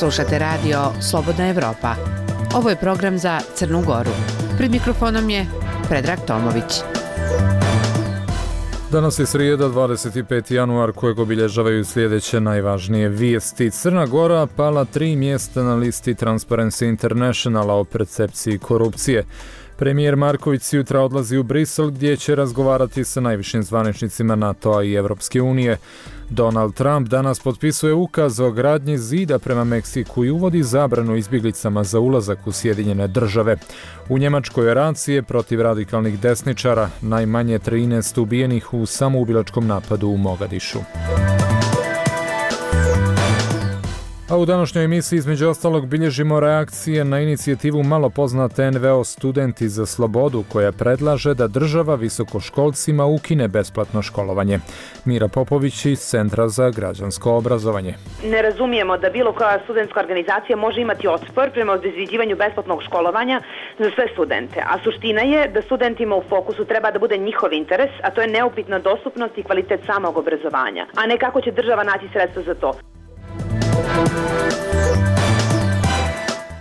Slušate radio Slobodna Evropa. Ovo je program za Crnu Goru. Pred mikrofonom je Predrag Tomović. Danas je srijeda, 25. januar, kojeg obilježavaju sljedeće najvažnije vijesti. Crna Gora pala 3 mjesta na listi Transparency Internationala o percepciji korupcije. Premijer Marković jutra odlazi u Brisel gdje će razgovarati sa najvišim zvaničnicima NATO-a i Europske unije. Donald Trump danas potpisuje ukaz o gradnji zida prema Meksiku i uvodi zabranu izbjeglicama za ulazak u Sjedinjene države. U Njemačkoj racije protiv radikalnih desničara, najmanje 13 ubijenih u samoubilačkom napadu u Mogadišu. A u današnjoj emisiji između ostalog bilježimo reakcije na inicijativu malo poznate NVO Studenti za slobodu, koja predlaže da država visokoškolcima ukine besplatno školovanje. Mira Popović iz Centra za građansko obrazovanje. Ne razumijemo da bilo koja studentska organizacija može imati otpor prema obezvređivanju besplatnog školovanja za sve studente, a suština je da studentima u fokusu treba da bude njihov interes, a to je neupitna dostupnost i kvalitet samog obrazovanja, a ne kako će država naći sredstva za to.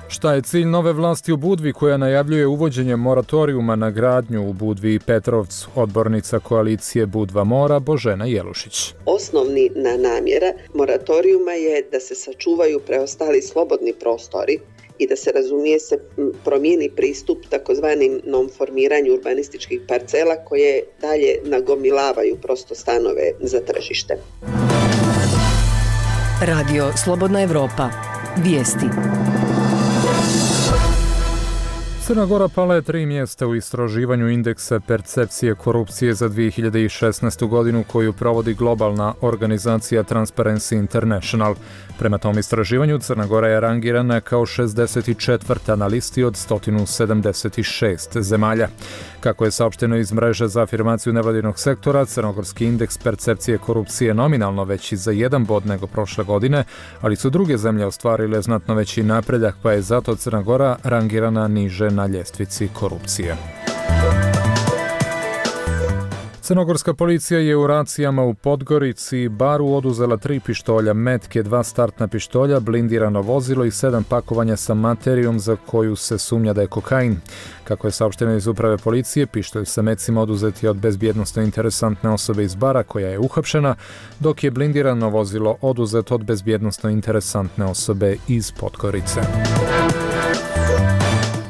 Šta je cilj nove vlasti u Budvi koja najavljuje uvođenje moratorijuma na gradnju u Budvi i Petrovcu? Odbornica koalicije Budva Mora Božena Jelušić. Osnovni namjera moratorijuma je da se sačuvaju preostali slobodni prostori i da se razumije se promijeni pristup takozvanim non-formiranju urbanističkih parcela koje dalje nagomilavaju prosto stanove za tržište. Radio Slobodna Evropa. Vijesti. Crna Gora pala je 3 mjesta u istraživanju indeksa percepcije korupcije za 2016. godinu koju provodi globalna organizacija Transparency International. Prema tom istraživanju Crna Gora je rangirana kao 64. na listi od 176 zemalja. Kako je saopšteno iz mreže za afirmaciju nevladinog sektora, crnogorski indeks percepcije korupcije je nominalno veći za 1 bod nego prošle godine, ali su druge zemlje ostvarile znatno veći napredak, pa je zato Crna Gora rangirana niže na ljestvici korupcije. Crnogorska policija je u racijama u Podgorici i Baru oduzela 3 pištolja, metke, 2 startna pištolja, blindirano vozilo i 7 pakovanja sa materijom za koju se sumnja da je kokain. Kako je saopšteno iz uprave policije, pištolj sa mecima oduzet je od bezbjednosno interesantne osobe iz Bara koja je uhapšena, dok je blindirano vozilo oduzet od bezbjednosno interesantne osobe iz Podgorice.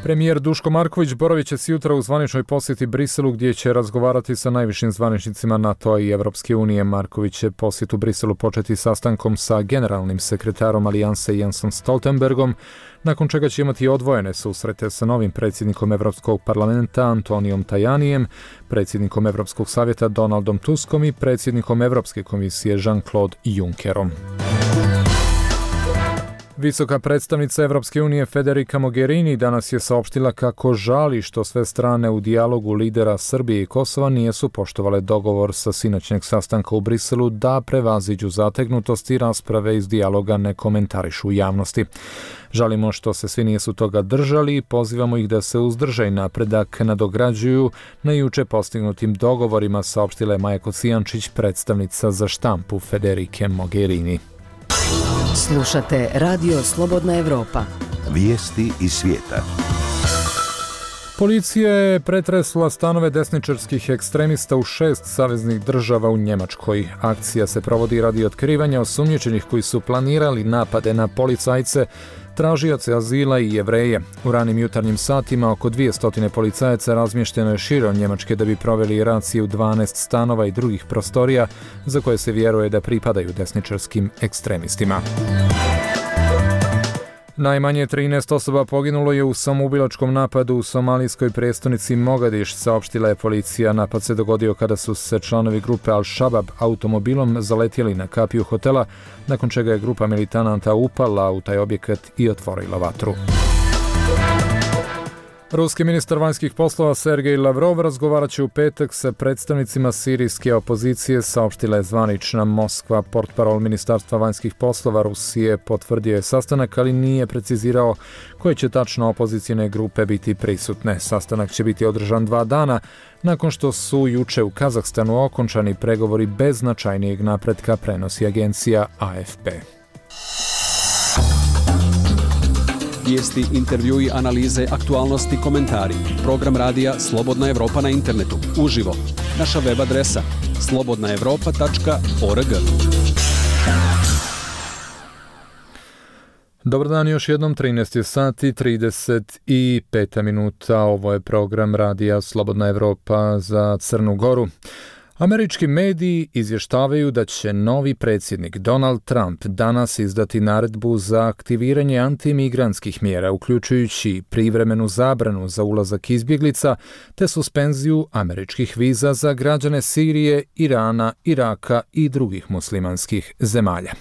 Premijer Duško Marković boravit će sjutra u zvaničnoj posjeti Briselu gdje će razgovarati sa najvišim zvaničnicima NATO-a i Europske unije. Marković će posjet u Briselu početi sastankom sa generalnim sekretarom Alijanse Jensom Stoltenbergom, nakon čega će imati odvojene susrete sa novim predsjednikom Europskog parlamenta Antonijom Tajanijem, predsjednikom Europskog savjeta Donaldom Tuskom i predsjednikom Europske komisije Jean-Claude Junckerom. Visoka predstavnica Europske unije Federica Mogherini danas je saopštila kako žali što sve strane u dijalogu lidera Srbije i Kosova nisu poštovale dogovor sa sinoćnjeg sastanka u Briselu da prevaziđu zategnutost i rasprave iz dijaloga ne komentarišu u javnosti. Žalimo što se svi nisu toga držali i pozivamo ih da se uzdrže i napredak nadograđuju na juče postignutim dogovorima, saopštila je Maja Kocijančić, predstavnica za štampu Federike Mogherini. Slušate Radio Slobodna Evropa. Vijesti iz svijeta. Policija je pretresla stanove desničarskih ekstremista u 6 saveznih država u Njemačkoj. Akcija se provodi radi otkrivanja osumnjičenih koji su planirali napade na policajce, tražioce azila i Jevreje. U ranim jutarnjim satima oko 200 policajaca razmješteno je širom Njemačke da bi proveli racije u 12 stanova i drugih prostorija za koje se vjeruje da pripadaju desničarskim ekstremistima. Najmanje 13 osoba poginulo je u samoubilačkom napadu u somalijskoj prijestolnici Mogadiš, saopštila je policija. Napad se dogodio kada su se članovi grupe Al-Shabaab automobilom zaletjeli na kapiju hotela, nakon čega je grupa militanata upala u taj objekat i otvorila vatru. Ruski ministar vanjskih poslova Sergej Lavrov razgovarat će u petak sa predstavnicima sirijske opozicije, saopštila je zvanična Moskva. Portparol Ministarstva vanjskih poslova Rusije potvrdio je sastanak, ali nije precizirao koje će tačno opozicijne grupe biti prisutne. Sastanak će biti održan 2 dana, nakon što su juče u Kazahstanu okončani pregovori bez značajnijeg napretka, prenosi agencija AFP. Vijesti, intervjui, analize, aktualnosti, komentari. Program radija Slobodna Evropa na internetu. Uživo. Naša web adresa slobodnaevropa.org. Dobar dan, još jednom 13 sati 35 minuta. Ovo je program radija Slobodna Evropa za Crnu Goru. Američki mediji izvještavaju da će novi predsjednik Donald Trump danas izdati naredbu za aktiviranje antimigrantskih mjera, uključujući privremenu zabranu za ulazak izbjeglica te suspenziju američkih viza za građane Sirije, Irana, Iraka i drugih muslimanskih zemalja.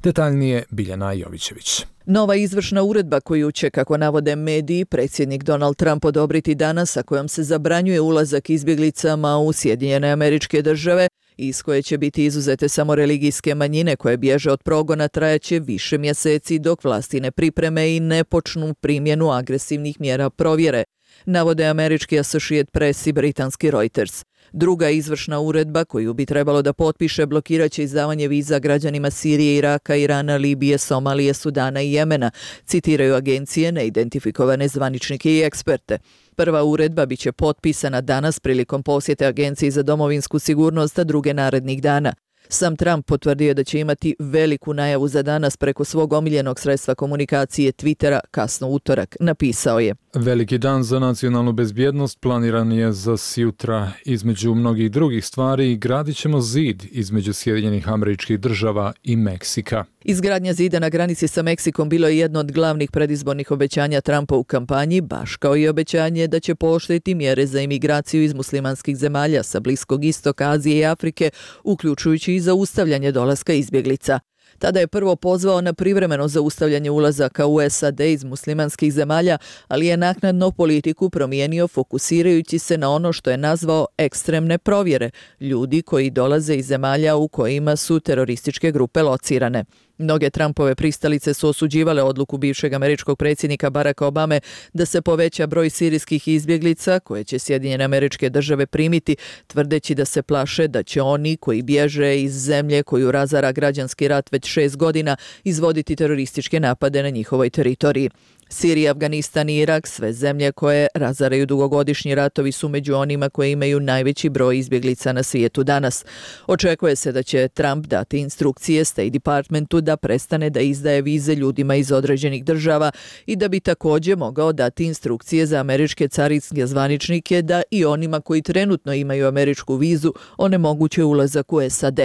Detaljnije Biljana Jovićević. Nova izvršna uredba koju će, kako navode mediji, predsjednik Donald Trump odobriti danas, a kojom se zabranjuje ulazak izbjeglicama u Sjedinjene Američke Države, iz koje će biti izuzete samo religijske manjine koje bježe od progona, trajaće više mjeseci dok vlasti ne pripreme i ne počnu primjenu agresivnih mjera provjere, navode američki Associated Press i britanski Reuters. Druga izvršna uredba koju bi trebalo da potpiše blokirat će izdavanje viza građanima Sirije, Iraka, Irana, Libije, Somalije, Sudana i Jemena, citiraju agencije, neidentifikovane zvaničnike i eksperte. Prva uredba biće potpisana danas prilikom posjete Agenciji za domovinsku sigurnost, a druge narednih dana. Sam Trump potvrdio da će imati veliku najavu za danas preko svog omiljenog sredstva komunikacije Twittera kasno utorak. Napisao je: Veliki dan za nacionalnu bezbjednost planiran je za sjutra. Između mnogih drugih stvari gradit ćemo zid između Sjedinjenih Američkih Država i Meksika. Izgradnja zida na granici sa Meksikom bilo je jedno od glavnih predizbornih obećanja Trumpa u kampanji, baš kao i obećanje da će pooštriti mjere za imigraciju iz muslimanskih zemalja sa Bliskog istoka, Azije i Afrike, uključujući i zaustavljanje dolaska izbjeglica. Tada je prvo pozvao na privremeno zaustavljanje ulazaka u SAD iz muslimanskih zemalja, ali je naknadno politiku promijenio fokusirajući se na ono što je nazvao ekstremne provjere, ljudi koji dolaze iz zemalja u kojima su terorističke grupe locirane. Mnoge Trumpove pristalice su osuđivale odluku bivšeg američkog predsjednika Baracka Obame da se poveća broj sirijskih izbjeglica koje će Sjedinjene Američke Države primiti, tvrdeći da se plaše da će oni koji bježe iz zemlje koju razara građanski rat već 6 godina izvoditi terorističke napade na njihovoj teritoriji. Sirija, Afganistan i Irak, sve zemlje koje razaraju dugogodišnji ratovi, su među onima koje imaju najveći broj izbjeglica na svijetu danas. Očekuje se da će Trump dati instrukcije State Departmentu da prestane da izdaje vize ljudima iz određenih država i da bi također mogao dati instrukcije za američke carinske zvaničnike da i onima koji trenutno imaju američku vizu onemoguće ulazak u SAD.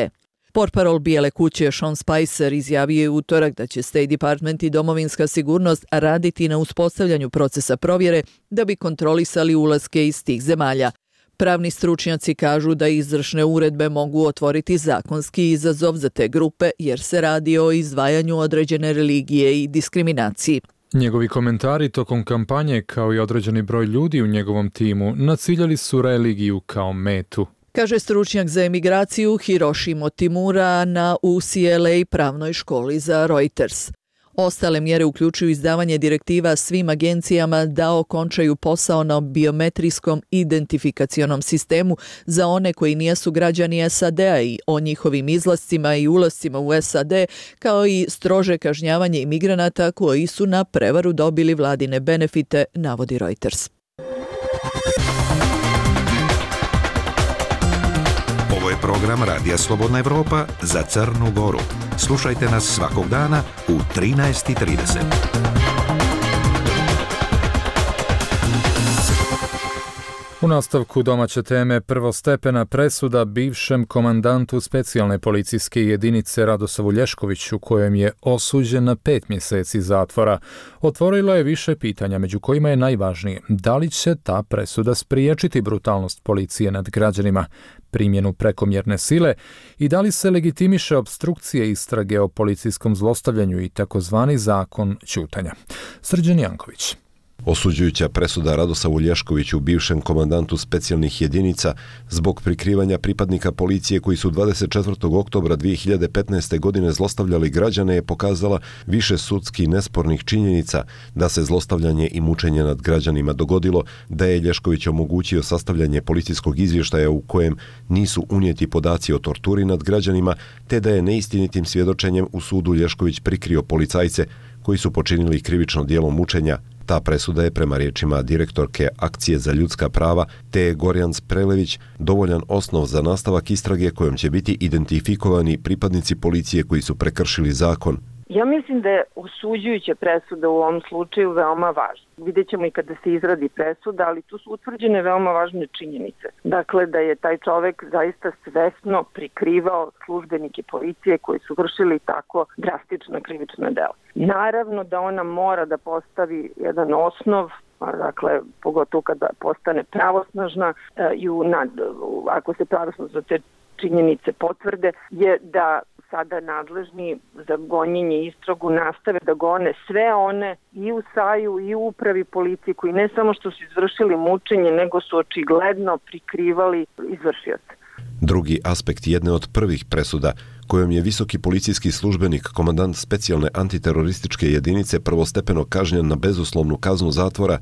Portparol Bijele kuće Sean Spicer izjavio je u utorak da će State Department i domovinska sigurnost raditi na uspostavljanju procesa provjere da bi kontrolisali ulaske iz tih zemalja. Pravni stručnjaci kažu da izvršne uredbe mogu otvoriti zakonski izazov za te grupe jer se radi o izdvajanju određene religije i diskriminaciji. Njegovi komentari tokom kampanje, kao i određeni broj ljudi u njegovom timu, naciljali su religiju kao metu, kaže stručnjak za emigraciju Hiroshi Motimura na UCLA pravnoj školi za Reuters. Ostale mjere uključuju izdavanje direktiva svim agencijama da okončaju posao na biometrijskom identifikacionom sistemu za one koji nisu građani SAD-a i o njihovim izlascima i ulascima u SAD, kao i strože kažnjavanje imigranata koji su na prevaru dobili vladine benefite, navodi Reuters. Ovo je program Radija Slobodna Evropa za Crnu Goru. Slušajte nas svakog dana u 13:30. U nastavku domaće teme, prvostepena presuda bivšem komandantu specijalne policijske jedinice Radosavu Lješkoviću, kojem je osuđen na 5 mjeseci zatvora, otvorila je više pitanja, među kojima je najvažnije: da li će ta presuda spriječiti brutalnost policije nad građanima, primjenu prekomjerne sile i da li se legitimiše opstrukcije istrage o policijskom zlostavljanju i takozvani zakon ćutanja. Srđan Janković. Osuđujuća presuda Radosavu Lješkoviću, bivšem komandantu specijalnih jedinica, zbog prikrivanja pripadnika policije koji su 24. oktobra 2015. godine zlostavljali građane, je pokazala više sudski nespornih činjenica da se zlostavljanje i mučenje nad građanima dogodilo, da je Lješković omogućio sastavljanje policijskog izvještaja u kojem nisu unijeti podaci o torturi nad građanima, te da je neistinitim svjedočenjem u sudu Lješković prikrio policajce koji su počinili krivično djelo mučenja. Ta presuda je prema riječima direktorke Akcije za ljudska prava Teje Gorjans Prelević dovoljan osnov za nastavak istrage kojom će biti identifikovani pripadnici policije koji su prekršili zakon. Ja mislim da je osuđujuća presuda u ovom slučaju veoma važna. Vidjet ćemo i kada se izradi presuda, ali tu su utvrđene veoma važne činjenice. Dakle, da je taj čovek zaista svesno prikrivao službenike policije koji su vršili tako drastična krivična dela. Naravno da ona mora da postavi jedan osnov, dakle, pogotovo kada postane pravosnažna i ako se pravosnažno te činjenice potvrde, je da sada nadležni za gonjenje istragu nastave da gone sve one i u SAJ-u i u upravi policije koji ne samo što su izvršili mučenje, nego su očigledno prikrivali izvršioce. Drugi aspekt jedne od prvih presuda, kojom je visoki policijski službenik, komandant specijalne antiterorističke jedinice, prvostepeno kažnjen na bezuslovnu kaznu zatvora,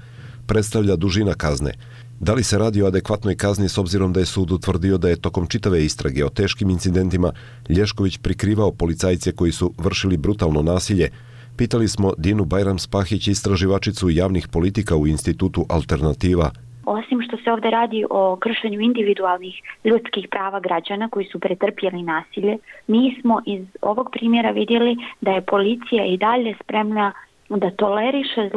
predstavlja dužina kazne. Da li se radi o adekvatnoj kazni s obzirom da je sud utvrdio da je tokom čitave istrage o teškim incidentima Lješković prikrivao policajce koji su vršili brutalno nasilje? Pitali smo Dinu Bajram-Spahić, istraživačicu javnih politika u Institutu Alternativa. Osim što se ovdje radi o kršenju individualnih ljudskih prava građana koji su pretrpjeli nasilje, mi smo iz ovog primjera vidjeli da je policija i dalje spremna da toleriše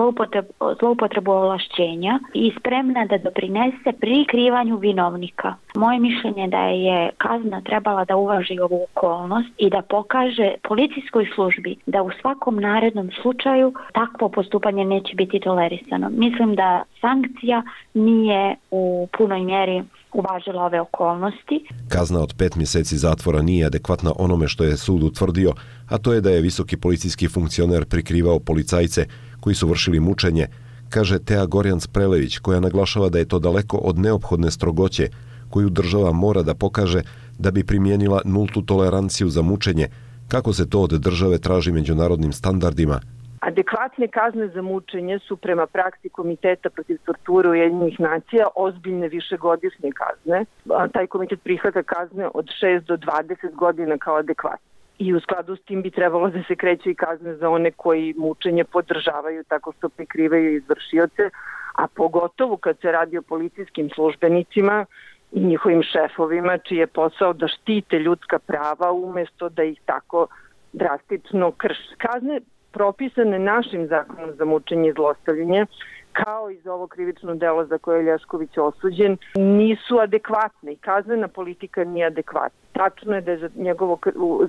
zloupotrebu ovlašćenja i spremna da doprinese prikrivanju vinovnika. Moje mišljenje da je kazna trebala da uvaži ovu okolnost i da pokaže policijskoj službi da u svakom narednom slučaju takvo postupanje neće biti tolerisano. Mislim da sankcija nije u punoj mjeri uvažila ove okolnosti. Kazna od 5 mjeseci zatvora nije adekvatna onome što je sud utvrdio, a to je da je visoki policijski funkcioner prikrivao policajce koji su vršili mučenje, kaže Teja Gorjans Prelević, koja naglašava da je to daleko od neophodne strogoće koju država mora da pokaže da bi primijenila nultu toleranciju za mučenje, kako se to od države traži međunarodnim standardima. Adekvatne kazne za mučenje su prema praksi Komiteta protiv torture Ujedinjenih nacija ozbiljne višegodišnje kazne. Taj komitet prihvata kazne od 6 do 20 godina kao adekvatne. I u skladu s tim bi trebalo da se kreću i kazne za one koji mučenje podržavaju tako što prikrivaju izvršioce, a pogotovo kad se radi o policijskim službenicima i njihovim šefovima, čiji je posao da štite ljudska prava umjesto da ih tako drastično krše. Kazne propisane našim zakonom za mučenje i zlostavljanje, kao i za ovo krivično delo za koje je Lješković osuđen, nisu adekvatne i kaznena politika nije adekvatna. Tačno je da je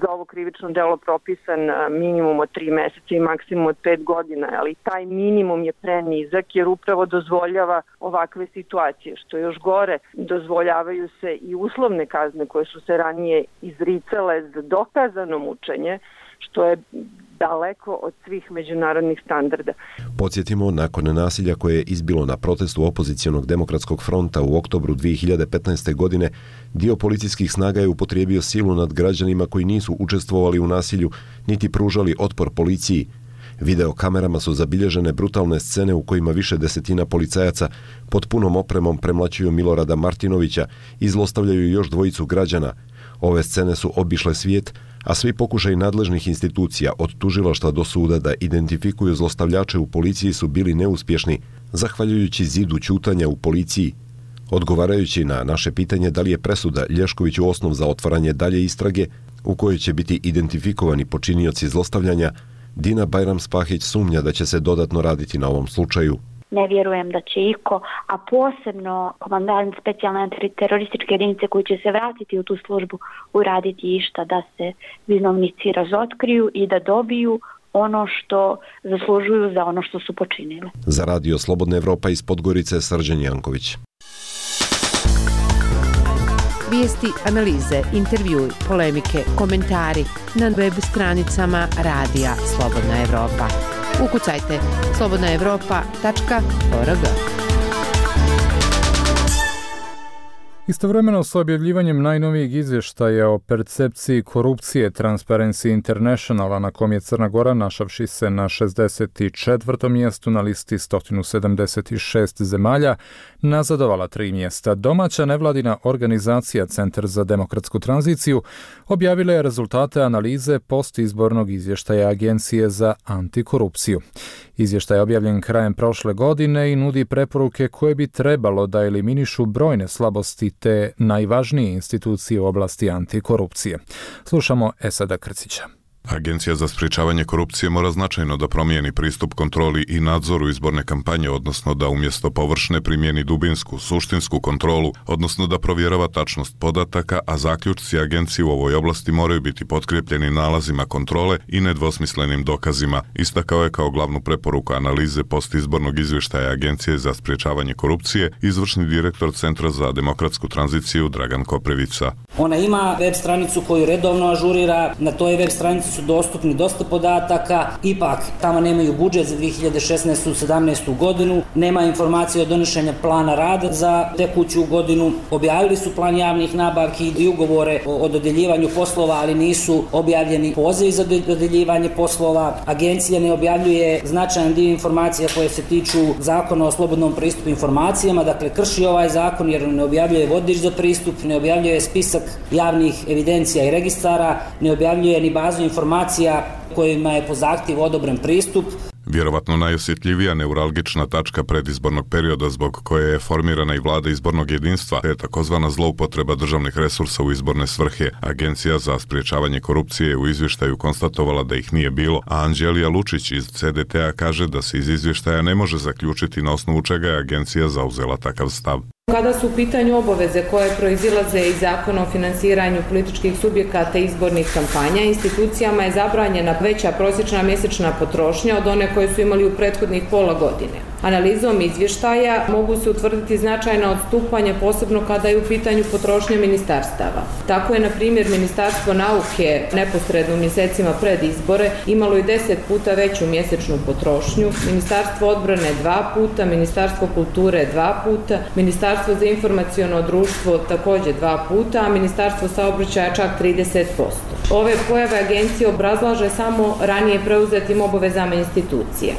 za ovo krivično delo propisan minimum od 3 mjeseca i maksimum od 5 godina, ali taj minimum je prenizak jer upravo dozvoljava ovakve situacije. Što još gore, dozvoljavaju se i uslovne kazne koje su se ranije izricale za dokazano mučenje, što je daleko od svih međunarodnih standarda. Podsjetimo, nakon nasilja koje je izbilo na protestu opozicionog demokratskog fronta u oktobru 2015. godine, dio policijskih snaga je upotrijebio silu nad građanima koji nisu učestvovali u nasilju niti pružali otpor policiji. Video kamerama su zabilježene brutalne scene u kojima više desetina policajaca pod punom opremom premlaćuju Milorada Martinovića i zlostavljaju još dvojicu građana. Ove scene su obišle svijet, a svi pokušaji nadležnih institucija od tužilaštva do suda da identifikuju zlostavljače u policiji su bili neuspješni, zahvaljujući zidu ćutanja u policiji. Odgovarajući na naše pitanje da li je presuda Lješkoviću osnov za otvaranje dalje istrage u kojoj će biti identifikovani počinioci zlostavljanja, Dina Bajram-Spahić sumnja da će se dodatno raditi na ovom slučaju. Ne vjerujem da će iko, a posebno komandant specijalne antiterorističke jedinice koji će se vratiti u tu službu, uraditi išta da se vinovnici razotkriju i da dobiju ono što zaslužuju za ono što su počinili. Za Radio Slobodna Evropa iz Podgorice, Srđan Janković. Vijesti, analize, intervjui, polemike, komentari na web stranicama Radija Slobodna Evropa. Ukucajte slobodnaevropa.org. Istovremeno s objavljivanjem najnovijeg izvještaja o percepciji korupcije Transparency Internationala, na kom je Crna Gora, našavši se na 64. mjestu na listi 176 zemalja, nazadovala 3 mjesta. Domaća nevladina organizacija Centar za demokratsku tranziciju objavila je rezultate analize postizbornog izvještaja Agencije za antikorupciju. Izvještaj je objavljen krajem prošle godine i nudi preporuke koje bi trebalo da eliminišu brojne slabosti te najvažnije institucije u oblasti antikorupcije. Slušamo Esada Krcića. Agencija za sprječavanje korupcije mora značajno da promijeni pristup kontroli i nadzoru izborne kampanje, odnosno da umjesto površne primijeni dubinsku, suštinsku kontrolu, odnosno da provjerava tačnost podataka, a zaključci agencije u ovoj oblasti moraju biti potkrijepljeni nalazima kontrole i nedvosmislenim dokazima, istakao je kao glavnu preporuku analize postizbornog izvještaja Agencije za sprječavanje korupcije izvršni direktor Centra za demokratsku tranziciju Dragan Koprivica. Ona ima web stranicu koju redovno ažurira, na toj web stranici su dostupni dosta podataka, ipak tamo nemaju budžet za 2016-17 godinu, nema informacije o donošenju plana rada za tekuću godinu, objavili su plan javnih nabavki i ugovore o dodjeljivanju poslova, ali nisu objavljeni pozivi za dodjeljivanje poslova. Agencija ne objavljuje značajan dio informacija koje se tiču Zakona o slobodnom pristupu informacijama, dakle krši ovaj zakon jer ne objavljuje vodič za pristup, ne objavljuje spisak javnih evidencija i registara, ne objavljuje ni bazu informacija kojima je po zahtjevu odobren pristup. Vjerovatno najosjetljivija neuralgična tačka predizbornog perioda zbog koje je formirana i vlada izbornog jedinstva je takozvana zloupotreba državnih resursa u izborne svrhe. Agencija za sprječavanje korupcije u izvještaju konstatovala da ih nije bilo, a Anđelija Lučić iz CDT-a kaže da se iz izvještaja ne može zaključiti na osnovu čega je agencija zauzela takav stav. Kada su u pitanju obaveze koje proizilaze iz Zakona o finansiranju političkih subjekata i izbornih kampanja, institucijama je zabranjena veća prosječna mjesečna potrošnja od one koje su imali u prethodnih pola godine. Analizom izvještaja mogu se utvrditi značajna odstupanja, posebno kada je u pitanju potrošnja ministarstava. Tako je, na primjer, Ministarstvo nauke neposredno u mjesecima pred izbore imalo i 10 puta veću mjesečnu potrošnju, Ministarstvo odbrane 2 puta, Ministarstvo kulture 2 puta, Ministarstvo za informaciono društvo također 2 puta, a Ministarstvo saobraćaja čak 30%. Ove pojave agencije obrazlaže samo ranije preuzetim obavezama institucije.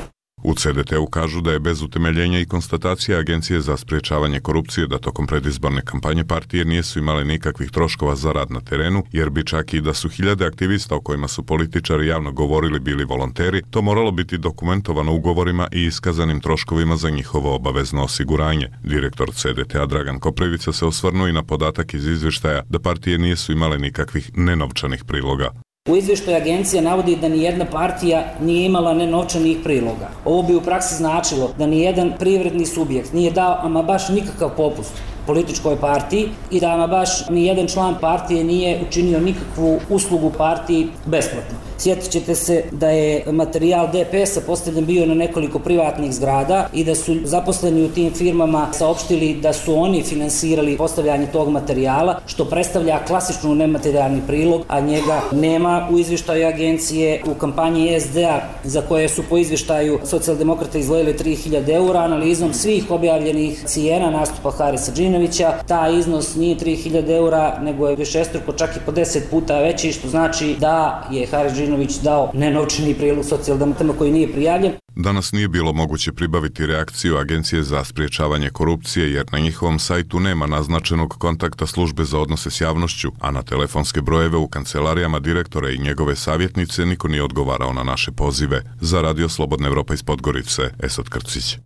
U CDT-u kažu da je bez utemeljenja i konstatacija Agencije za sprječavanje korupcije da tokom predizborne kampanje partije nisu imale nikakvih troškova za rad na terenu, jer bi čak i da su hiljade aktivista o kojima su političari javno govorili bili volonteri, to moralo biti dokumentovano ugovorima i iskazanim troškovima za njihovo obavezno osiguranje. Direktor CDT-a Dragan Koprivica se osvrnuo i na podatak iz izvještaja da partije nisu imale nikakvih nenovčanih priloga. U izvještaju agencija navodi da nijedna partija nije imala nenovčanih priloga. Ovo bi u praksi značilo da nijedan privredni subjekt nije dao ama baš nikakav popust političkoj partiji i da ama baš nijedan član partije nije učinio nikakvu uslugu partiji besplatno. Sjetit ćete se da je materijal DPS-a postavljen bio na nekoliko privatnih zgrada i da su zaposleni u tim firmama saopštili da su oni finansirali postavljanje tog materijala, što predstavlja klasičnu nematerijalni prilog, a njega nema u izvještaju agencije. U kampanji SD-a, za koje su po izvještaju socijaldemokrata izdvojili 3000 eura, analizom svih objavljenih cijena nastupa Harisa Džinovića, taj iznos nije 3000 eura, nego je višestruko, čak i po 10 puta veći, što znači da je Haris Džinović dao nenovčani prilog socijaldemokratima koji nije prijavljen. Danas nije bilo moguće pribaviti reakciju Agencije za sprječavanje korupcije jer na njihovom sajtu nema naznačenog kontakta službe za odnose s javnošću, a na telefonske brojeve u kancelarijama direktora i njegove savjetnice niko nije odgovarao na naše pozive. Za Radio Slobodna Evropa iz Podgorice, Esad Krcić.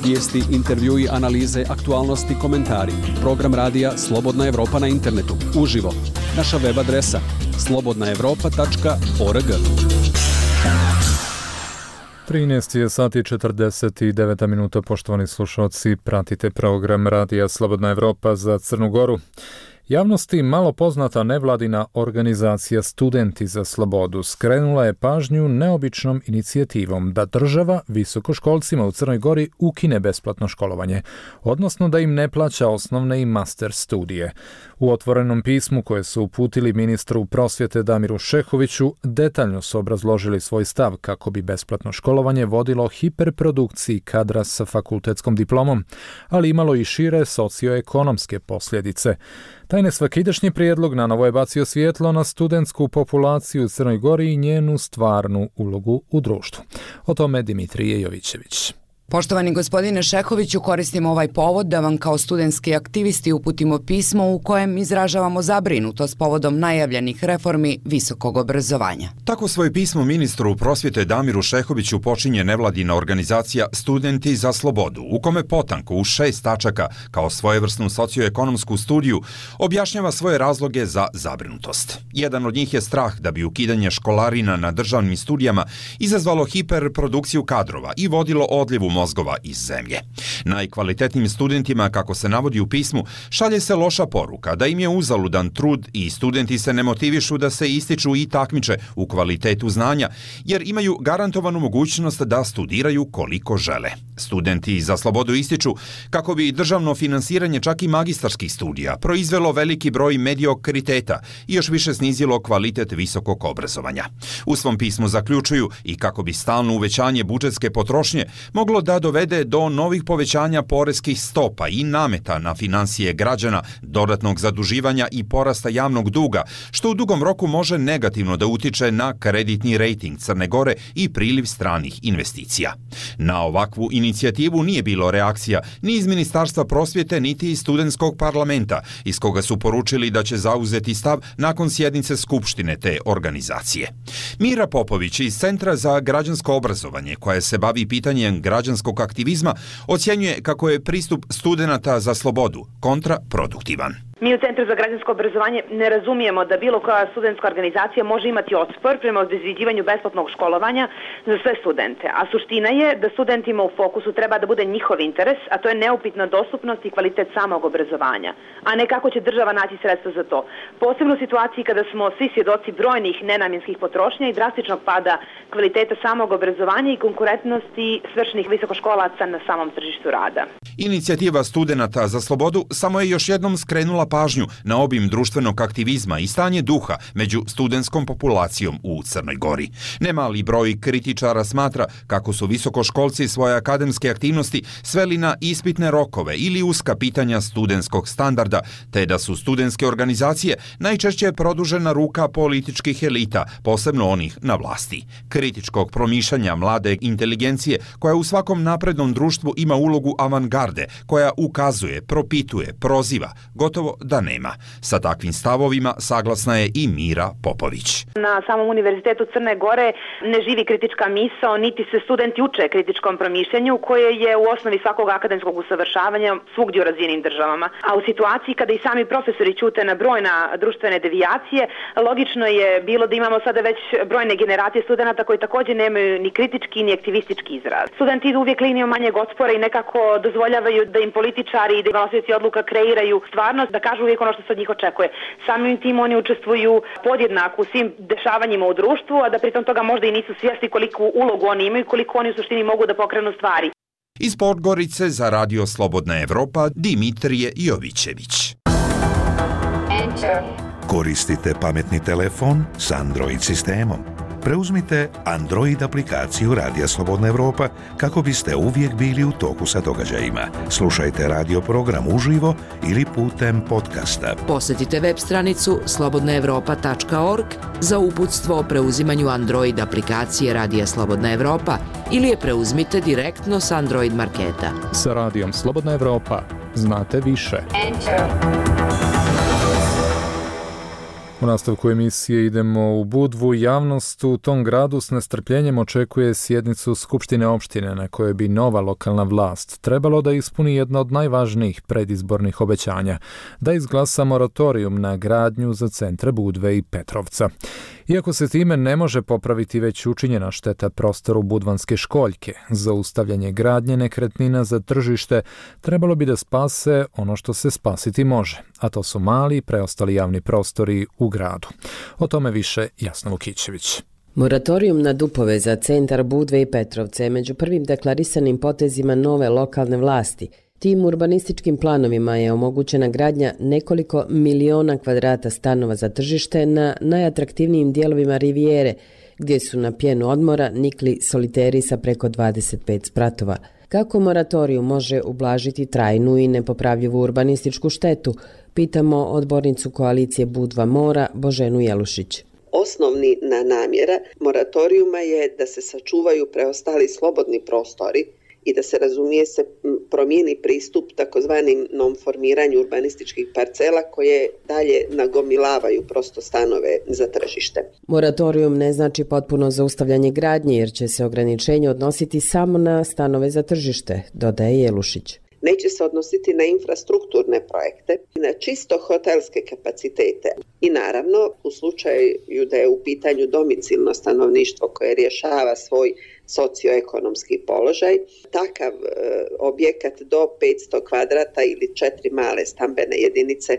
Vijesti, intervjui, analize, aktualnosti, komentari. Program radija Slobodna Evropa na internetu. Uživo. Naša web adresa slobodnaevropa.org. 13 je sati 49 minuta, poštovani slušalci, pratite program radija Slobodna Evropa za Crnu Goru. Javnosti malo poznata nevladina organizacija Studenti za slobodu skrenula je pažnju neobičnom inicijativom da država visokoškolcima u Crnoj Gori ukine besplatno školovanje, odnosno da im ne plaća osnovne i master studije. U otvorenom pismu koje su uputili ministru prosvjete Damiru Šehoviću detaljno su obrazložili svoj stav kako bi besplatno školovanje vodilo hiperprodukciji kadra sa fakultetskom diplomom, ali imalo i šire socioekonomske posljedice. Taj nesvakidašnji prijedlog nanovo je bacio svjetlo na studentsku populaciju u Crnoj Gori i njenu stvarnu ulogu u društvu. O tome Dimitrije Jovićević. Poštovani gospodine Šehoviću, koristimo ovaj povod da vam kao studentski aktivisti uputimo pismo u kojem izražavamo zabrinutost povodom najavljenih reformi visokog obrazovanja. Tako svoje pismo ministru prosvjete Damiru Šehoviću počinje nevladina organizacija Studenti za slobodu, u kome potanko u 6 tačaka kao svojevrsnu socioekonomsku studiju objašnjava svoje razloge za zabrinutost. Jedan od njih je strah da bi ukidanje školarina na državnim studijama izazvalo hiperprodukciju kadrova i vodilo odljevu mozgova iz zemlje. Najkvalitetnijim studentima, kako se navodi u pismu, šalje se loša poruka da im je uzaludan trud i studenti se ne motivišu da se ističu i takmiče u kvalitetu znanja, jer imaju garantovanu mogućnost da studiraju koliko žele. Studenti za slobodu ističu kako bi državno finansiranje čak i magistarskih studija proizvelo veliki broj mediokriteta i još više snizilo kvalitet visokog obrazovanja. U svom pismu zaključuju i kako bi stalno uvećanje budžetske potrošnje moglo da dovede do novih povećanja poreskih stopa i nameta na financije građana, dodatnog zaduživanja i porasta javnog duga, što u dugom roku može negativno da utiče na kreditni rejting Crne Gore i priliv stranih investicija. Na ovakvu inicijativu nije bilo reakcija ni iz Ministarstva prosvjete, niti iz studentskog parlamenta, iz koga su poručili da će zauzeti stav nakon sjednice skupštine te organizacije. Mira Popović iz Centra za građansko obrazovanje, koja se bavi pitanjem građanskog aktivizma, ocjenjuje kako je pristup studenata za slobodu kontraproduktivan. Mi u Centru za građansko obrazovanje ne razumijemo da bilo koja studentska organizacija može imati otpor prema obezvređivanju besplatnog školovanja za sve studente, a suština je da studentima u fokusu treba da bude njihov interes, a to je neupitna dostupnost i kvalitet samog obrazovanja, a ne kako će država naći sredstva za to. Posebno u situaciji kada smo svi svjedoci brojnih nenamjenskih potrošnja i drastičnog pada kvaliteta samog obrazovanja i konkurentnosti svršenih visokoškolaca na samom tržištu rada. Inicijativa studenata za slobodu samo je još jednom skrenula pažnju na obim društvenog aktivizma i stanje duha među studentskom populacijom u Crnoj Gori. Nemali broj kritičara smatra kako su visokoškolci svoje akademske aktivnosti sveli na ispitne rokove ili uska pitanja studentskog standarda, te da su studentske organizacije najčešće produžena ruka političkih elita, posebno onih na vlasti. Kritičkog promišljanja mlade inteligencije, koja u svakom naprednom društvu ima ulogu avangarde, koja ukazuje, propituje, proziva, gotovo da nema. Sa takvim stavovima saglasna je i Mira Popović. Na samom Univerzitetu Crne Gore ne živi kritička misao, niti se studenti uče kritičkom promišljanju, koje je u osnovi svakog akademskog usavršavanja svugdje u razvijenim državama. A u situaciji kada i sami profesori ćute na brojna društvene devijacije, logično je bilo da imamo sada već brojne generacije studenata koji također nemaju ni kritički ni aktivistički izraz. Studenti idu uvijek linijom manjeg otpora i nekako dozvoljavaju da im političari i donosioci odluka kreiraju stvarnost, da kažu uvijek ono što se od njih očekuje. Samim tim oni učestvuju podjednako u svim dešavanjima u društvu, a da pritom toga možda i nisu svjesni koliku ulogu oni imaju i koliko oni u suštini mogu da pokrenu stvari. Iz Podgorice za Radio Slobodna Evropa, Dimitrije Jovićević. Koristite pametni telefon s Android sistemom. Preuzmite Android aplikaciju Radija Slobodna Evropa kako biste uvijek bili u toku sa događajima. Slušajte radio program uživo ili putem podcasta. Posjetite web stranicu slobodnaevropa.org za uputstvo o preuzimanju Android aplikacije Radija Slobodna Evropa ili je preuzmite direktno s Android marketa. Sa Radijom Slobodna Evropa znate više. U nastavku emisije idemo u Budvu. Javnost u tom gradu s nestrpljenjem očekuje sjednicu Skupštine opštine na kojoj bi nova lokalna vlast trebalo da ispuni jedno od najvažnijih predizbornih obećanja, da izglasa moratorijum na gradnju za centre Budve i Petrovca. Iako se time ne može popraviti već učinjena šteta prostoru Budvanske školjke, zaustavljanje gradnje nekretnina za tržište trebalo bi da spase ono što se spasiti može, a to su mali preostali javni prostori u gradu. O tome više Jasna Vukićević. Moratorijum na dupove za centar Budve i Petrovce je među prvim deklarisanim potezima nove lokalne vlasti. Tim urbanističkim planovima je omogućena gradnja nekoliko miliona kvadrata stanova za tržište na najatraktivnijim dijelovima Rivijere, gdje su na pjenu odmora nikli soliteri sa preko 25 spratova. Kako moratorijum može ublažiti trajnu i nepopravljivu urbanističku štetu, pitamo odbornicu koalicije Budva Mora Boženu Jelušić. Osnovni namjera moratorijuma je da se sačuvaju preostali slobodni prostori i da se promijeni pristup takozvanim non-formiranju urbanističkih parcela koje dalje nagomilavaju prosto stanove za tržište. Moratorijum ne znači potpuno zaustavljanje gradnje jer će se ograničenje odnositi samo na stanove za tržište, dodaje Jelušić. Neće se odnositi na infrastrukturne projekte i na čisto hotelske kapacitete. I naravno, u slučaju da je u pitanju domicilno stanovništvo koje rješava svoj socioekonomski položaj, takav objekat do 500 kvadrata ili 4 male stambene jedinice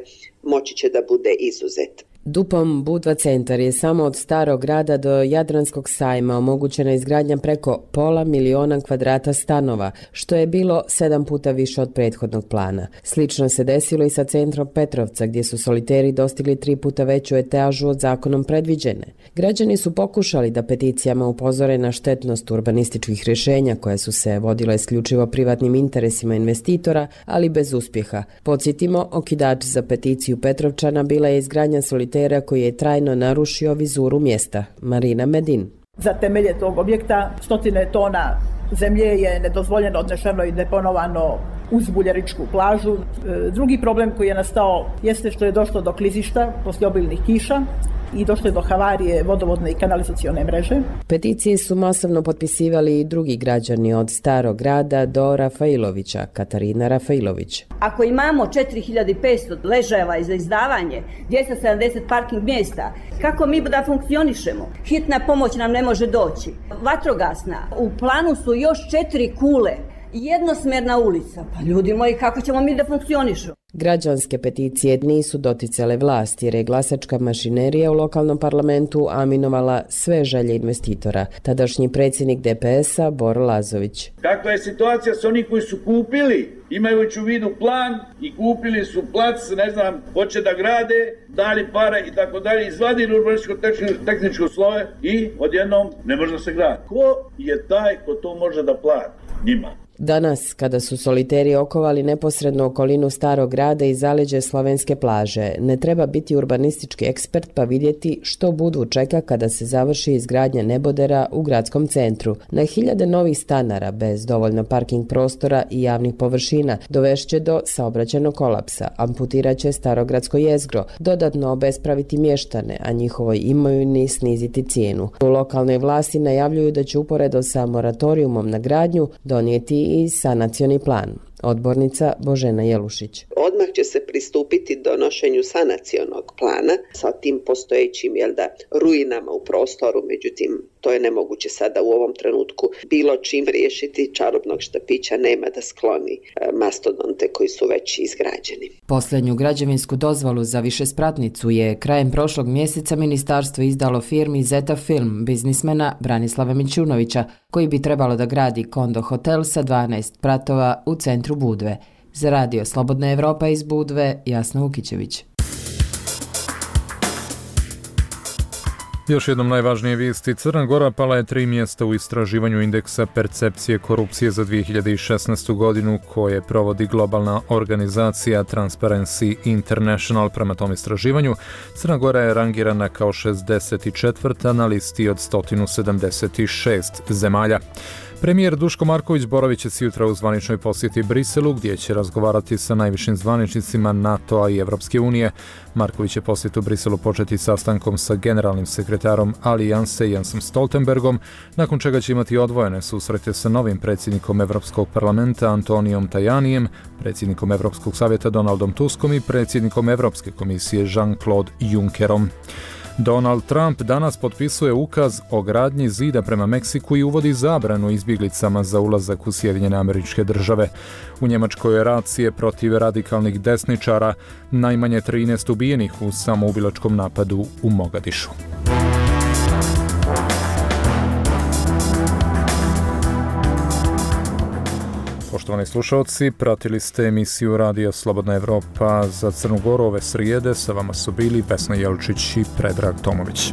moći će da bude izuzet. Dupom Budva centar je samo od Starog grada do Jadranskog sajma omogućena izgradnja preko 500.000 kvadrata stanova, što je bilo 7 puta više od prethodnog plana. Slično se desilo i sa centrom Petrovca, gdje su soliteri dostigli 3 puta veću etažu od zakonom predviđene. Građani su pokušali da peticijama upozore na štetnost urbanističkih rješenja koja su se vodila isključivo privatnim interesima investitora, ali bez uspjeha. Podsjetimo, okidač za peticiju Petrovčana bila je izgradnja solitera koji je trajno narušio vizuru mjesta. Marina Medin. Za temelje tog objekta 100 tona zemlje je nedozvoljeno odnešeno i deponovano uz Buljaričku plažu. Drugi problem koji je nastao jeste što je došlo do klizišta poslije obilnih kiša i došlo je do havarije vodovodne i kanalizacione mreže. Peticije su masovno potpisivali i drugi građani od Starog grada do Rafailovića, Katarina Rafailović. Ako imamo 4500 ležajeva za izdavanje, 270 parking mjesta, kako mi da funkcionišemo? Hitna pomoć nam ne može doći. Vatrogasna. U planu su još 4 kule. Jednosmjerna ulica. Pa ljudi moji, kako ćemo mi da funkcionišu? Građanske peticije nisu doticale vlasti jer je glasačka mašinerija u lokalnom parlamentu aminovala sve želje investitora. Tadašnji predsjednik DPS-a Boro Lazović. Kakva je situacija s onih koji su kupili, imajući u vidu plan i kupili su plac, hoće da grade, dali pare i tako dalje, izvadili urbanističko-tehničko slove i odjednom ne može da se gradi. Ko je taj ko to može da plati? Njima. Danas, kada su soliteri okovali neposrednu okolinu Starog grada i zaleđe slovenske plaže, ne treba biti urbanistički ekspert pa vidjeti što Budvu čeka kada se završi izgradnja nebodera u gradskom centru. Na hiljade novih stanara bez dovoljno parking prostora i javnih površina dovešće do saobraćajnog kolapsa, amputiraće starogradsko jezgro, dodatno obespraviti mještane, a njihovoj imovini sniziti cijenu. U lokalnoj vlasti najavljuju da će uporedo sa moratorijumom na gradnju donijeti i sanacioni plan. Odbornica Božena Jelušić. Odmah će se pristupiti donošenju sanacionog plana sa tim postojećim ruinama u prostoru, međutim to je nemoguće sada u ovom trenutku bilo čim riješiti. Čarobnog štapića nema da skloni mastodonte koji su već izgrađeni. Posljednju građevinsku dozvolu za višespratnicu je krajem prošlog mjeseca ministarstvo izdalo firmi Zeta Film biznismena Branislava Mićunovića, koji bi trebalo da gradi kondo hotel sa 12 spratova u centru Budve. Za radio Slobodna Evropa iz Budve, Jasna Vukićević. Još jednom najvažnije vijesti. Crna Gora pala je 3 mjesta u istraživanju indeksa percepcije korupcije za 2016. godinu koje provodi globalna organizacija Transparency International. Prema tom istraživanju, Crna Gora je rangirana kao 64. na listi od 176 zemalja. Premijer Duško Marković boravit će sutra u zvaničnoj posjeti Briselu, gdje će razgovarati sa najvišim zvaničnicima NATO-a i Evropske unije. Marković će posjet u Briselu početi sastankom sa generalnim sekretarom Alijanse Jensom Stoltenbergom, nakon čega će imati odvojene susrete sa novim predsjednikom Evropskog parlamenta Antonijom Tajanijem, predsjednikom Evropskog savjeta Donaldom Tuskom i predsjednikom Evropske komisije Jean-Claude Junckerom. Donald Trump danas potpisuje ukaz o gradnji zida prema Meksiku i uvodi zabranu izbjeglicama za ulazak u Sjedinjene Američke Države. U Njemačkoj je racije protiv radikalnih desničara, najmanje 13 ubijenih u samoubilačkom napadu u Mogadišu. Poštovani slušalci, pratili ste emisiju Radija Slobodna Evropa za Crnu Goru ove srijede. Sa vama su bili Vesna Jelčić i Predrag Tomović.